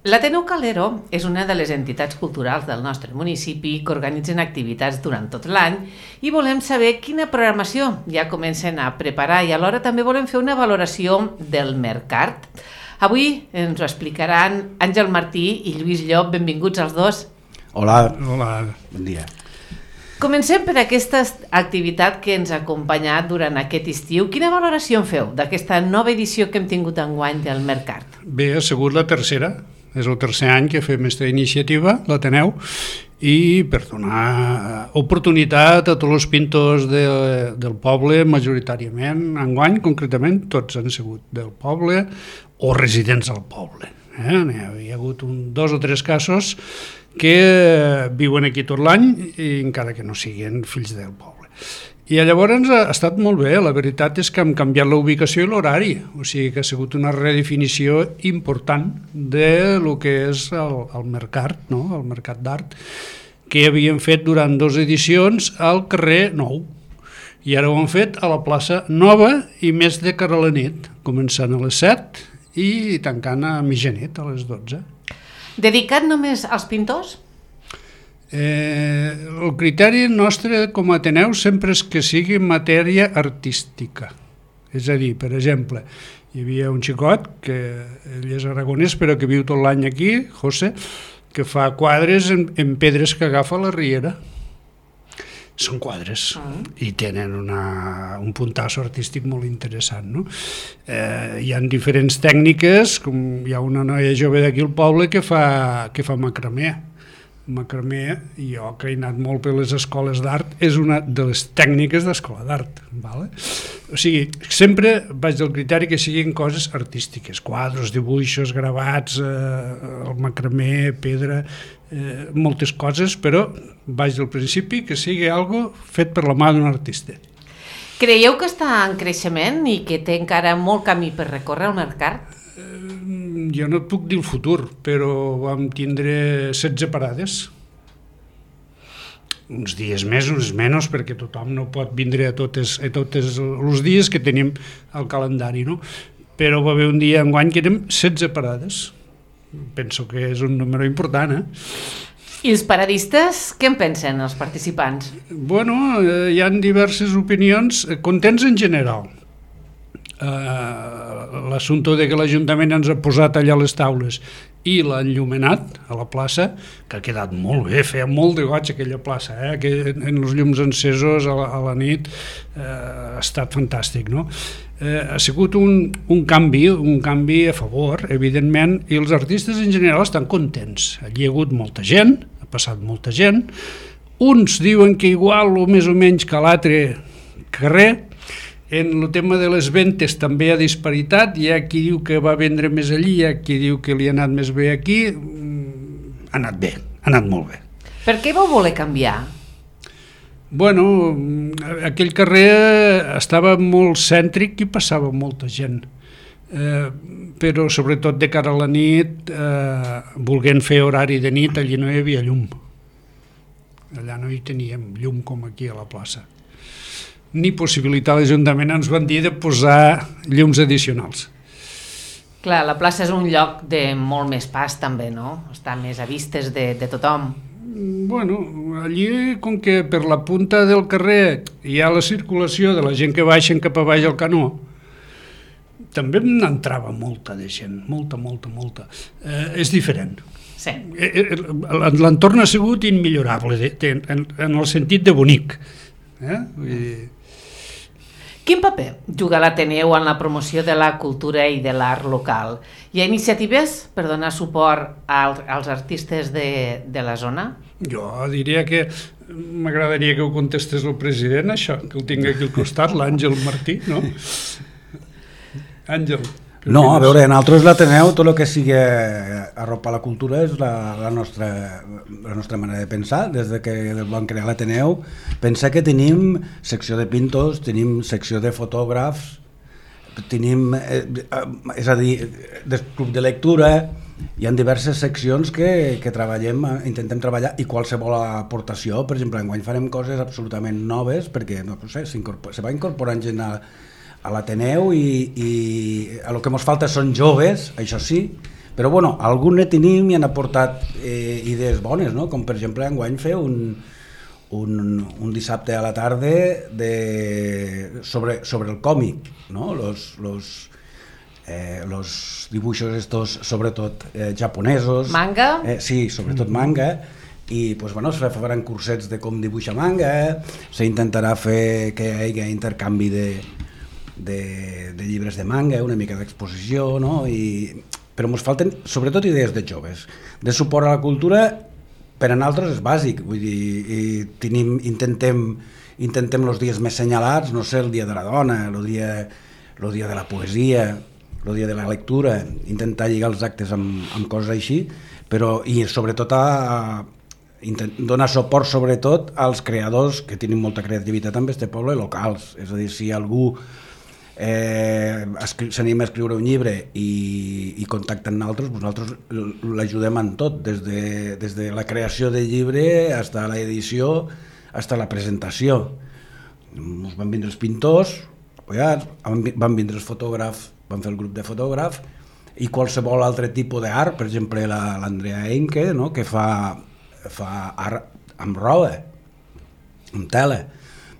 L'Ateneu Calero és una de les entitats culturals del nostre municipi que organitzen activitats durant tot l'any i volem saber quina programació ja comencen a preparar i alhora també volem fer una valoració del Mercart. Avui ens ho explicaran Àngel Martí i Lluís Llop. Benvinguts els dos. Hola. Hola. Bon dia. Comencem per aquesta activitat que ens ha acompanyat durant aquest estiu. Quina valoració en feu d'aquesta nova edició que hem tingut enguany del Mercart? Bé, ha sigut la tercera. És el tercer any que fem aquesta iniciativa, l'Ateneu, i per donar oportunitat a tots els pintors del poble, majoritàriament, enguany concretament, tots han sigut del poble o residents del poble. Hi ha hagut 2 o 3 casos que viuen aquí tot l'any i encara que no siguin fills del poble. I llavors ha estat molt bé, la veritat és que hem canviat la ubicació i l'horari, o sigui que ha sigut una redefinició important de lo que és el Mercat, no? El Mercat d'Art, que havíem fet durant 2 edicions al carrer Nou, i ara ho hem fet a la plaça Nova i més de cara a la nit, començant a les 7 i tancant a mitjanit, a les 12. Dedicat només als pintors? El criteri nostre com a Ateneu sempre és que sigui matèria artística. És a dir, per exemple, hi havia un xicot, que ell és aragonès però que viu tot l'any aquí, José, que fa quadres en pedres que agafa a la riera. Són quadres i tenen un puntasso artístic molt interessant, no? Hi ha diferents tècniques, com hi ha una noia jove d'aquí al poble que fa macramé. Macramé, jo que he anat molt per les escoles d'art, és una de les tècniques d'escola d'art. O sigui, sempre vaig del criteri que siguin coses artístiques, quadres, dibuixos, gravats, el macramé, pedra, moltes coses, però vaig del principi que sigui algo fet per la mà d'un artista. Creieu que està en creixement i que té encara molt camí per recórrer el Mercat? Jo no et puc dir el futur, però vam tindre 16 parades. Uns dies més, uns menys, perquè tothom no pot vindre a tots els dies que tenim al calendari, no? Però va haver un dia enguany que érem 16 parades. Penso que és un número important, I els paradistes, què en pensen, els participants? Bueno, hi ha diverses opinions, contents en general. L'assumpte de que l'Ajuntament ens ha posat allà les taules i l'ha enllumenat a la plaça, que ha quedat molt bé, feia molt de goig aquella plaça, que en els llums encesos a la nit ha estat fantàstic, no? Ha sigut un canvi a favor, evidentment, i els artistes en general estan contents. Allí hi ha hagut molta gent, ha passat molta gent, uns diuen que igual o més o menys que l'altre carrer. En el tema de les ventes també hi ha disparitat, hi ha qui diu que va vendre més allí, hi ha qui diu que li ha anat més bé aquí. Ha anat bé, ha anat molt bé. Per què vau voler canviar? Bueno, aquell carrer estava molt cèntric i passava molta gent, però sobretot de cara a la nit, volent fer horari de nit, allí no hi havia llum. Allà no hi teníem llum com aquí a la plaça. Ni possibilitat l'Ajuntament ens van dir de posar llums addicionals. Clar, la plaça és un lloc de molt més pas també, no? Està més a vistes de tothom. Bueno, allí com que per la punta del carrer hi ha la circulació de la gent que baixen cap a baix al canó, també n'entrava molta de gent, molta. És diferent. Sí. L'entorn ha sigut immillorable en el sentit de bonic. Vull dir... Quin paper juga l'Ateneu en la promoció de la cultura i de l'art local? Hi ha iniciatives per donar suport als artistes de la zona? Jo diria que m'agradaria que ho contestés el president, això, que ho tinc aquí al costat, l'Àngel Martí, no? Àngel. No, a veure, en altres l'Ateneu, tot el que sigui arropar la cultura és la nostra manera de pensar. Des que vam crear l'Ateneu, pensa que tenim secció de pintors, tenim secció de fotògrafs, tenim, és a dir, del club de lectura, hi ha diverses seccions que treballem, intentem treballar, i qualsevol aportació, per exemple, enguany farem coses absolutament noves, perquè no sé, se va incorporant gent a l'Ateneu i el que ens falta són joves, això sí, Però bueno, algun ne tenim i han aportat idees bones, no? Com per exemple enguany fer un dissabte a la tarda sobre el còmic, no? Los dibuixos estos, sobretot japonesos. Manga? Sí, sobretot manga. I pues, bueno, es faran cursets de com dibuixar manga, s'intentarà fer que hi hagi intercanvi de llibres de manga, una mica d'exposició, no? Però ens falten sobretot idees de joves, de suport a la cultura. Per a nosaltres és bàsic, vull dir, intentem els dies més senyalats, no sé, el dia de la dona, el dia de la poesia, el dia de la lectura, intentar lligar els actes amb coses així, però i sobretot donar suport sobretot als creadors que tenen molta creativitat en este poble, locals, és a dir, si algú s'anima a escriure un llibre i contacta amb nosaltres l'ajudem en tot, des de la creació del llibre fins a l'edició, fins a la presentació. Van vindre els pintors, van vindre els fotògrafs, van fer el grup de fotògrafs, i qualsevol altre tipus d'art, per exemple l'Andrea Enke, no? Que fa art amb roba, amb tela.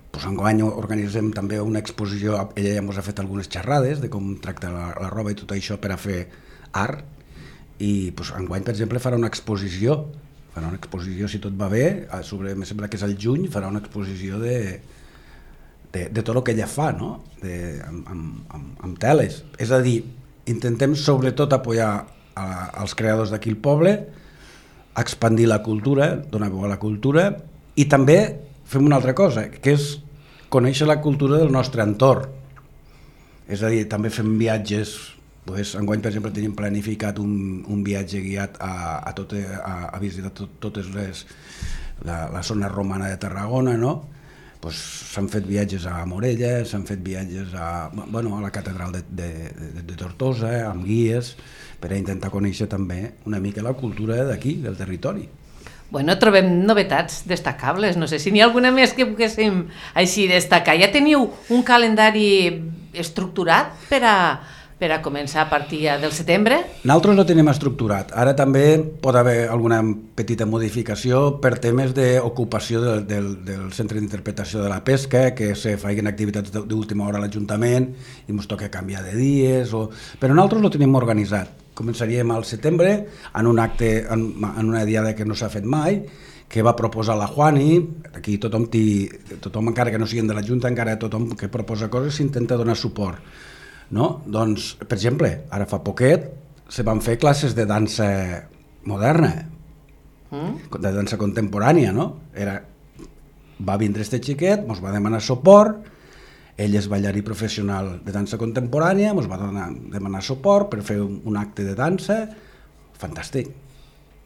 Pues enguany organitzem també una exposició, ella ja ens ha fet algunes xerrades de com tracta la roba i tot això per a fer art, i pues, enguany per exemple farà una exposició, si tot va bé, em sembla que és al juny, farà una exposició de tot el que ella fa, no? amb teles. És a dir, intentem sobretot apoyar als creadors d'aquí al poble, expandir la cultura, donar veu a la cultura, i també fem una altra cosa, que és conèixer la cultura del nostre entorn. És a dir, també fem viatges, enguany per exemple tenim planificat un viatge guiat a visitar totes la zona romana de Tarragona, no? S'han fet viatges a Morella, s'han fet viatges a la catedral de Tortosa, amb guies, per a intentar conèixer també una mica la cultura d'aquí, del territori. Bueno, trobem novetats destacables, no sé si n'hi ha alguna més que poguéssim així destacar. Ja teniu un calendari estructurat per a començar a partir del setembre? Nosaltres no tenim estructurat. Ara també pot haver alguna petita modificació per temes d'ocupació del centre d'interpretació de la pesca, que se facin activitats d'última hora a l'Ajuntament i ens toca canviar de dies, però nosaltres ho tenim organitzat. Començaríem al setembre en un acte, en una diada que no s'ha fet mai, que va proposar la Juani. Aquí tothom encara que no siguin de la Junta, encara tothom que proposa coses s'intenta donar suport, no? Doncs, per exemple, ara fa poquet se van fer classes de dansa moderna, de dansa contemporània, no? Va vindre este xiquet, ens va demanar suport. Ell és ballarí professional de dansa contemporània, ens va demanar suport per fer un acte de dansa. Fantàstic.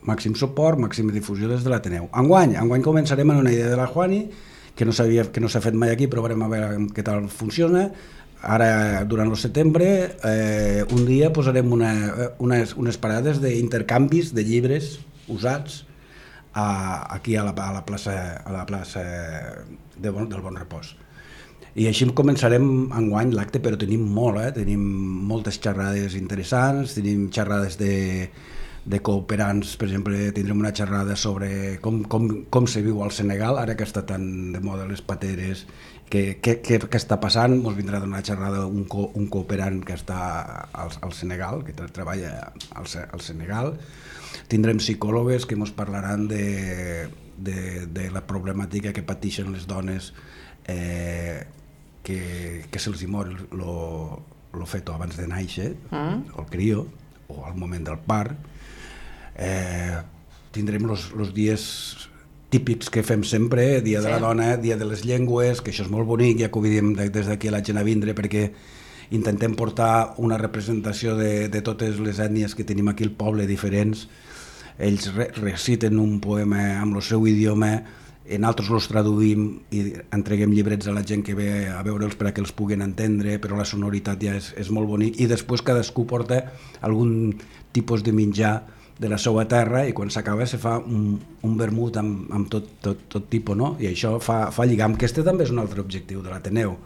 Màxim suport, màxima difusió des de l'Ateneu. Enguany començarem amb una idea de la Juani, que no s'ha fet mai aquí, però veurem a veure què tal funciona. Ara, durant el setembre, un dia posarem unes parades d'intercanvis de llibres usats aquí a la plaça del Bon Repòs. I així començarem enguany l'acte, però tenim tenim moltes xerrades interessants, tenim xerrades de cooperants. Per exemple, tindrem una xerrada sobre com se viu al Senegal, ara que està tan de moda les pateres, què està passant. Ens vindrà a donar una xerrada un cooperant que està al Senegal, que treballa al Senegal. Tindrem psicòlogues que ens parlaran de la problemàtica que pateixen les dones que se'ls mor el feto abans de néixer, el crio, o al moment del part. Tindrem els dies típics que fem sempre, dia de la dona, dia de les llengües, que això és molt bonic, ja que ho diem des d'aquí a la gent a vindre, perquè intentem portar una representació de totes les ètnies que tenim aquí al poble, diferents. Ells reciten un poema amb el seu idioma, nosaltres els traduïm i entreguem llibrets a la gent que ve a veure'ls per a que els puguin entendre, però la sonoritat ja és molt bonic, i després cadascú porta algun tipus de menjar de la seva terra, i quan s'acaba se fa un vermut amb tot tipus, no? I això fa lligam, que este també és un altre objectiu de l'Ateneu.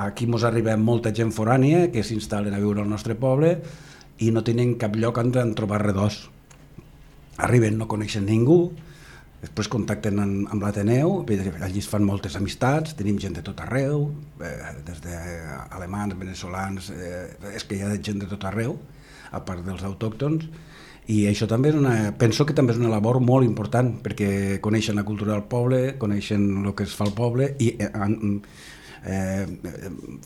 Aquí ens arriba molta gent forània que s'instal·len a viure al nostre poble, i no tenen cap lloc on trobar redós. Arriben, no coneixen ningú, després contacten amb l'Ateneu, allí es fan moltes amistats, tenim gent de tot arreu, des d'alemans, veneçolans, és que hi ha gent de tot arreu, a part dels autòctons, i això també penso que també és una labor molt important, perquè coneixen la cultura del poble, coneixen el que es fa al poble i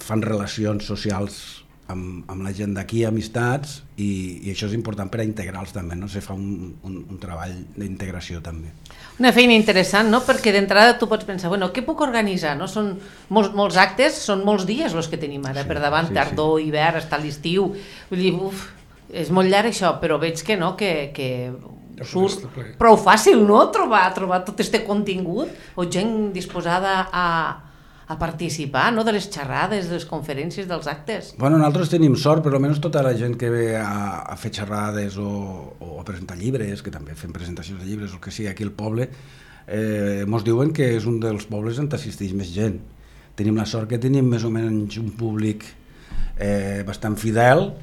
fan relacions socials amb la gent d'aquí, amistats, i això és important per a integrar-los també, no? Se fa un treball d'integració també. Una feina interessant, no? Perquè d'entrada tu pots pensar, bueno, què puc organitzar? No? Són molts actes, són molts dies els que tenim ara per davant, tardor, hivern, està l'estiu, vull dir, és molt llarg això, però veig que no, que surt prou fàcil, no?, trobar tot este contingut, o gent disposada a participar, no?, de les xerrades, de les conferències, dels actes. Bueno, nosaltres tenim sort, però almenys tota la gent que ve a fer xerrades o a presentar llibres, que també fem presentacions de llibres, o que sigui, aquí al poble, mos diuen que és un dels pobles on assisteix més gent. Tenim la sort que tenim més o menys un públic bastant fidel,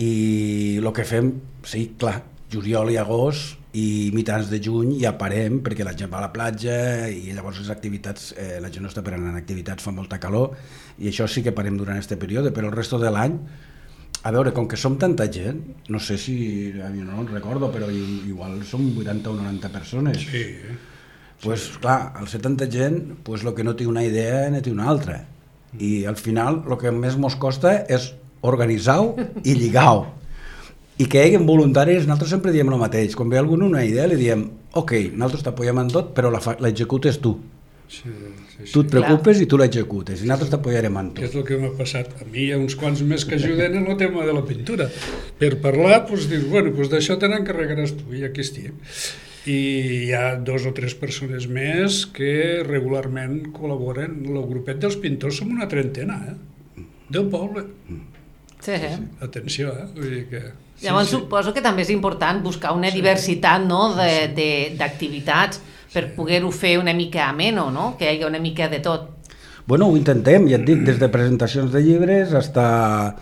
i el que fem, sí, clar, juliol i agost i mitjans de juny ja parem perquè la gent va a la platja i llavors les activitats, la gent no està per anar en activitats, fa molta calor i això sí que parem durant aquest període, però el resto de l'any, a veure, com que som tanta gent, no sé si, no recordo, però igual som 80 o 90 persones. Sí. Pues clar, al ser tanta gent, pues el que no té una idea no té una altra. I al final el que més mos costa és organitzar-ho i lligar-ho. I que hi hagi voluntaris, nosaltres sempre diem el mateix, quan ve algú una idea li diem, ok, nosaltres t'apoyem en tot, però l'executes tu. Sí. Tu et preocupes i tu l'executes, i nosaltres t'apoyarem en tot. Que és el que m'ha passat a mi, hi ha uns quants més que ajuden en el tema de la pintura. Per parlar, doncs dius, bueno, doncs d'això te n'encarregaràs tu, i aquí estic. I hi ha 2 o 3 persones més que regularment col·laboren. El grupet dels pintors som una trentena, del poble. Sí. Atenció, vull dir que... Llavors suposo que també és important buscar una diversitat, no?, d'activitats per poder-ho fer una mica ameno, no?, que hi hagi una mica de tot. Bueno, ho intentem, ja et dic, des de presentacions de llibres hasta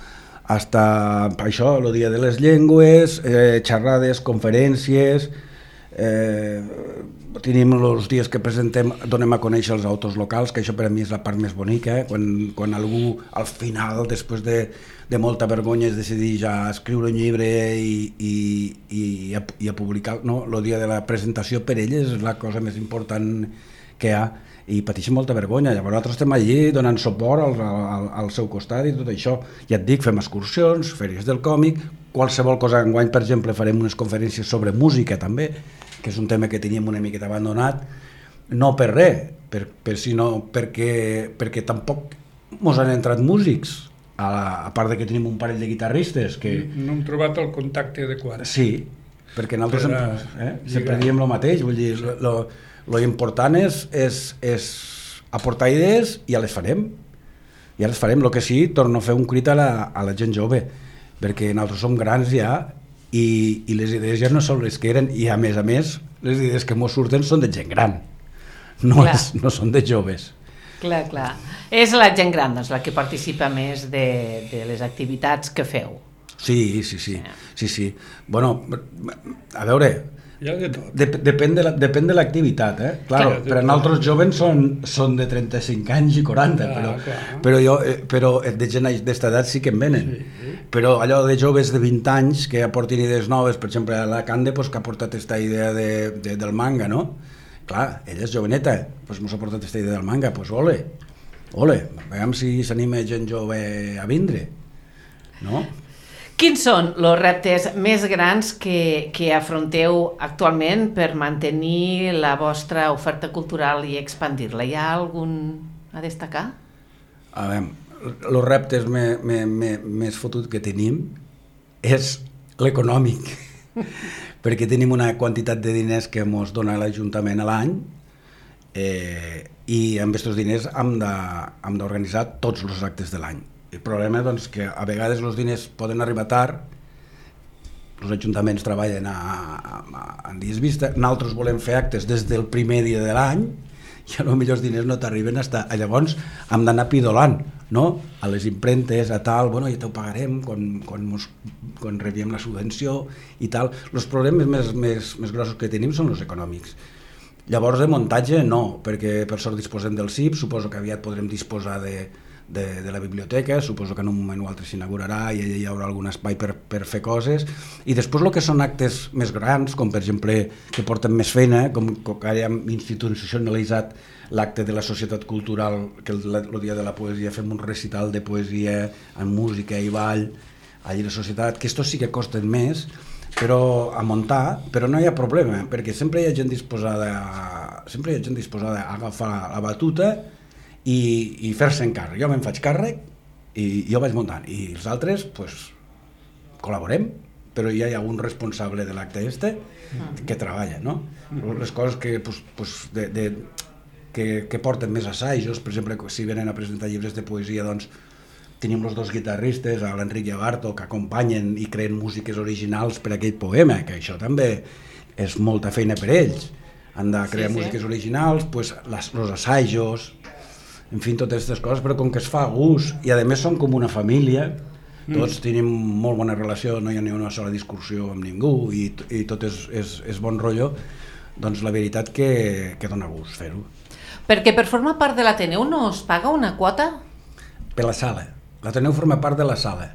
això, el Dia de les Llengües, xerrades, conferències, tenim els dies que presentem, donem a conèixer els autors locals, que això per a mi és la part més bonica, quan algú al final, després de molta vergonya, es decideix a escriure un llibre i a publicar, no? El dia de la presentació per elles és la cosa més important que hi ha, i pateixen molta vergonya. Llavors nosaltres estem allí donant suport al seu costat i tot això. Ja et dic, fem excursions, fèries del còmic, qualsevol cosa. Enguany, per exemple, farem unes conferències sobre música també, que és un tema que teníem una miqueta abandonat, no per res, sinó perquè tampoc mos han entrat músics, a part que tenim un parell de guitarristes que... No hem trobat el contacte adequat. Sí, perquè nosaltres sempre diem el mateix, vull dir, lo important és aportar idees i ja les farem. El que sí, torno a fer un crit a la gent jove, perquè nosaltres som grans ja i les idees ja no són les que eren, i a més, les idees que mos surten són de gent gran, no són de joves. Clar. És la gent gran, doncs, la que participa més de les activitats que feu. Sí. Bueno, a veure, depèn de l'activitat, Claro, per a nosaltres joves són de 35 anys i 40, però de gent d'esta edat sí que en venen. Però allò de joves de 20 anys que aportin idees noves, per exemple, a la Cande, que ha portat aquesta idea del manga, no? Clar, ella és joveneta, ens ha portat aquesta idea del manga, doncs ole, veiem si s'anima gent jove a vindre, no? Quins són els reptes més grans que afronteu actualment per mantenir la vostra oferta cultural i expandir-la? Hi ha algun a destacar? A veure, els reptes més fotuts que tenim és l'econòmic, perquè tenim una quantitat de diners que ens dona l'Ajuntament a l'any i amb aquests diners hem d'organitzar tots els actes de l'any. El problema és que a vegades els diners poden arribar tard, els ajuntaments treballen en dies vista, nosaltres volem fer actes des del primer dia de l'any i potser els diners no t'arriben llavors hem d'anar pidolant, no? A les impremtes, a tal, bueno, ja t'ho pagarem quan rebiem la subvenció i tal. Els problemes més grossos que tenim són els econòmics. Llavors de muntatge no, perquè per sort disposem del CIP, suposo que aviat podrem disposar de la biblioteca, suposo que en un moment o altre s'inaugurarà i allà hi haurà algun espai per fer coses, i després el que són actes més grans, com per exemple que porten més feina, com que ara hem institucionalitzat l'acte de la societat cultural, que el dia de la poesia fem un recital de poesia amb música i ball allà a la societat, que estos sí que costen més, però a muntar, però no hi ha problema, perquè sempre hi ha gent disposada a agafar la batuta i fer-se'n càrrec. Jo me'n faig càrrec i jo vaig muntant, i els altres pues, col·laborem, però ja hi ha un responsable de l'acte que treballa, no? Les coses que porten més assajos, per exemple, si venen a presentar llibres de poesia, doncs tenim els dos guitarristes, l'Enric i el Barto, que acompanyen i creen músiques originals per a aquell poema, que això també és molta feina per ells. Han de crear músiques originals, pues, els assajos, en fi, totes aquestes coses, però com que es fa a gust, i a més som com una família, tots tenim molt bona relació, no hi ha ni una sola discussió amb ningú, i tot és bon rotllo, doncs la veritat que dona gust fer-ho. Perquè per formar part de l'Ateneu no es paga una quota? Per la sala. L'Ateneu forma part de la sala.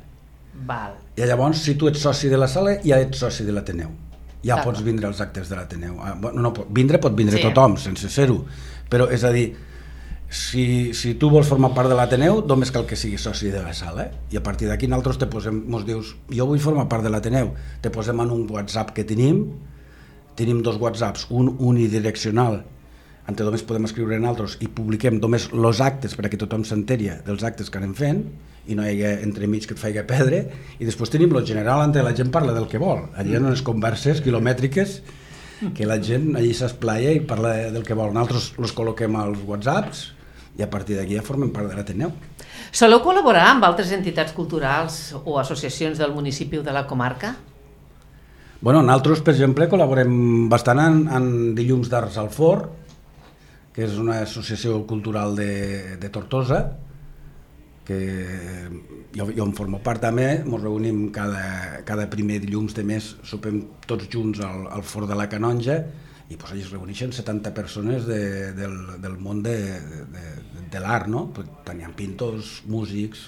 Val. I llavors, si tu ets soci de la sala, ja ets soci de l'Ateneu. Ja pots vindre als actes de l'Ateneu. Pot vindre tothom, sense ser-ho. Però, és a dir, si tu vols formar part de l'Ateneu, només cal que siguis soci de la sala, i a partir d'aquí nosaltres mos dius, jo vull formar part de l'Ateneu, te posem en un WhatsApp que tenim 2 WhatsApps, un unidireccional, on només podem escriure nosaltres, i publiquem només els actes perquè tothom s'enteri dels actes que anem fent, i no hi ha entremig que et faci perdre, i després tenim el general on la gent parla del que vol, allà hi ha unes converses quilomètriques que la gent allí s'esplaia i parla del que vol. Nosaltres els col·loquem als WhatsApps i a partir d'aquí ja formen part de l'Ateneu. Soleu col·laborar amb altres entitats culturals o associacions del municipi o de la comarca? Bueno, nosaltres, per exemple, col·laborem bastant en Dilluns d'Arts al Forn, que és una associació cultural de Tortosa, que jo en formo part també. Ens reunim cada primer dilluns de mes, sopem tots junts al Forn de la Canonja, i allà es reuneixen 70 persones del món de l'art, no? Tenien pintors, músics,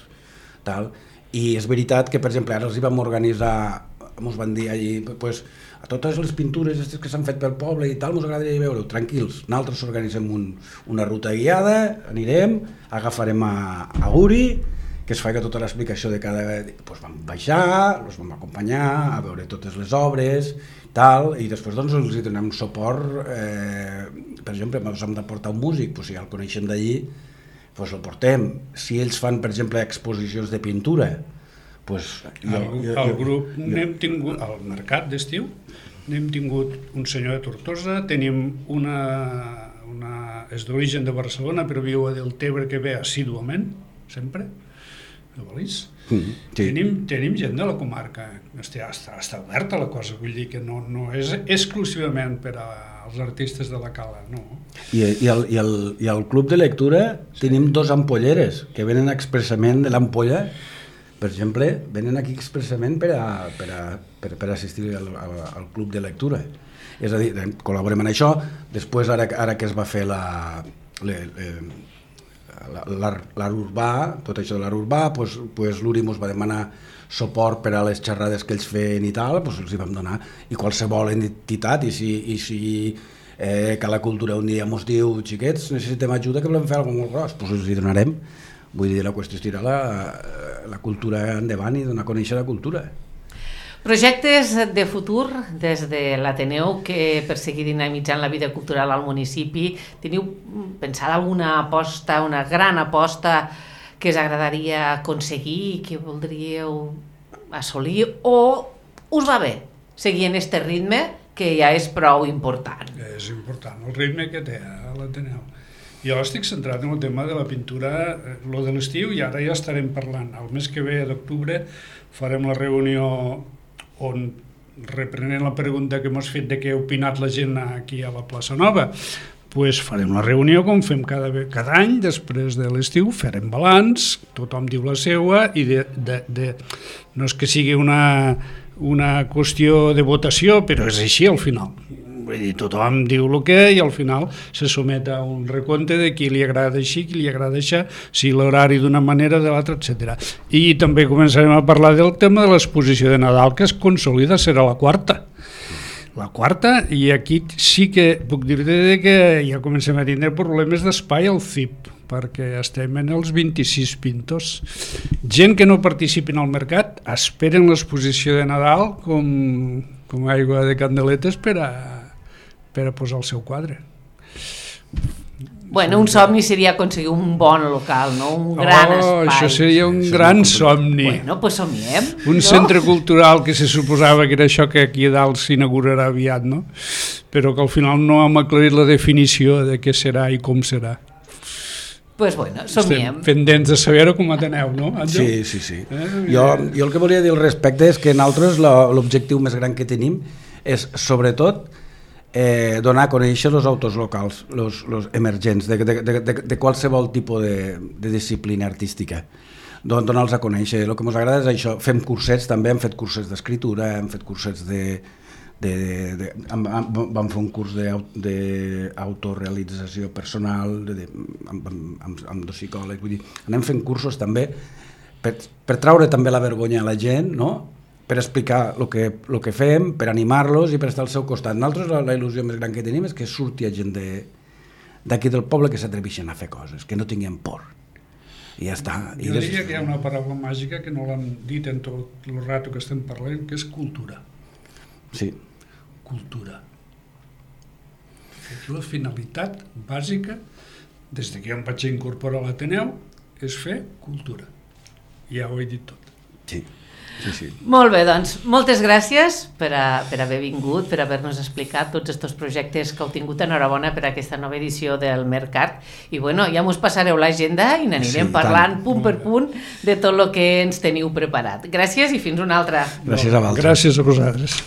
tal. I és veritat que, per exemple, ara els hi vam organitzar, ens van dir allí, pues, a totes les pintures que s'han fet pel poble i tal, ens agradaria veure-ho, tranquils. Nosaltres organitzem una ruta guiada, anirem, agafarem a Guri, que es faci tota l'explicació de cada... Pues vam baixar, els vam acompanyar a veure totes les obres, tal, i després doncs els donem suport. Per exemple, ens hem de portar un músic, pues, si ja el coneixem d'allí, pues el portem. Si ells fan, per exemple, exposicions de pintura, pues, el grup n'hem tingut al mercat d'estiu, n'hem tingut un senyor de Tortosa, tenim és d'origen de Barcelona però viu a Deltebre, que ve assíduament sempre, no volís? Sí. Tenim gent de la comarca, està oberta la cosa, vull dir que no és exclusivament per als artistes de la Cala, no. I al club de lectura tenim 2 ampolleres que venen expressament de l'ampolla. Per exemple, venen aquí expressament per assistir al club de lectura. És a dir, col·laborem en això. Després, ara que es va fer l'art urbà, tot això de l'art urbà, doncs l'Uri ens va demanar suport per a les xerrades que ells feien i tal, doncs els hi vam donar. I qualsevol entitat, i si que la cultura un dia ens diu, xiquets, necessitem ajuda, que volem fer alguna cosa molt gros, doncs els hi donarem. Vull dir, la qüestió és tirar la cultura endavant i donar a conèixer la cultura. Projectes de futur des de l'Ateneu que per seguir dinamitzant la vida cultural al municipi, teniu pensada alguna aposta, una gran aposta que us agradaria aconseguir, que voldríeu assolir, o us va bé seguir en este ritme que ja és prou important? És important el ritme que té l'Ateneu. Jo estic centrat en el tema de la pintura, lo de l'estiu, i ara ja estarem parlant. El mes que ve, d'octubre, farem la reunió on, reprenent la pregunta que m'has fet de què ha opinat la gent aquí a la plaça Nova, pues farem la reunió com fem cada any, després de l'estiu farem balanç, tothom diu la seua i no és que sigui una qüestió de votació, però és així al final. Vull dir, tothom diu el que i al final se somet a un recompte de qui li agrada així, qui li agrada això, si l'horari d'una manera, de l'altra, etc. I també començarem a parlar del tema de l'exposició de Nadal, que es consolida, serà la quarta. La quarta, i aquí sí que puc dir-te que ja comencem a tindre problemes d'espai al CIP, perquè estem en els 26 pintors. Gent que no participen al mercat esperen l'exposició de Nadal com aigua de candeletes per a posar el seu quadre. Bueno, un somni seria aconseguir un bon local, no? Un gran espai. Això seria un gran somni. Bueno, pues somiem. Un centre cultural que se suposava que era això que aquí a dalt s'inaugurarà aviat, no? Però que al final no hem aclarit la definició de què serà i com serà. Pues bueno, somiem. Estem pendents de saber-ho com a Ateneu, no, Àngel? Sí. Jo el que volia dir al respecte és que nosaltres l'objectiu més gran que tenim és, sobretot, donar a conèixer els autors locals, els emergents, de qualsevol tipus de disciplina artística. Donar-los a conèixer. El que ens agrada és això. Fem cursets també, hem fet cursets d'escriptura, hem fet cursets vam fer un curs d'autorealització personal amb dos psicòlegs. Vull dir, anem fent cursos també per traure també la vergonya a la gent, no? Per explicar el que fem, per animar-los i per estar al seu costat. Nosaltres la il·lusió més gran que tenim és que surti gent d'aquí del poble que s'atreveixen a fer coses, que no tinguin por. I ja està. Jo diria que hi ha una paraula màgica que no l'han dit en tot el rato que estem parlant, que és cultura. Sí. Cultura. La finalitat bàsica, des que jo em vaig incorporar a l'Ateneu, és fer cultura. Ja ho he dit tot. Sí. Molt bé, doncs, moltes gràcies per haver vingut, per haver-nos explicat tots aquests projectes que heu tingut. Enhorabona per aquesta nova edició del Mercat. I bueno, ja mos passareu l'agenda i n'anirem parlant punt per punt de tot el que ens teniu preparat. Gràcies i fins una altra. Gràcies a vosaltres. Gràcies a vosaltres.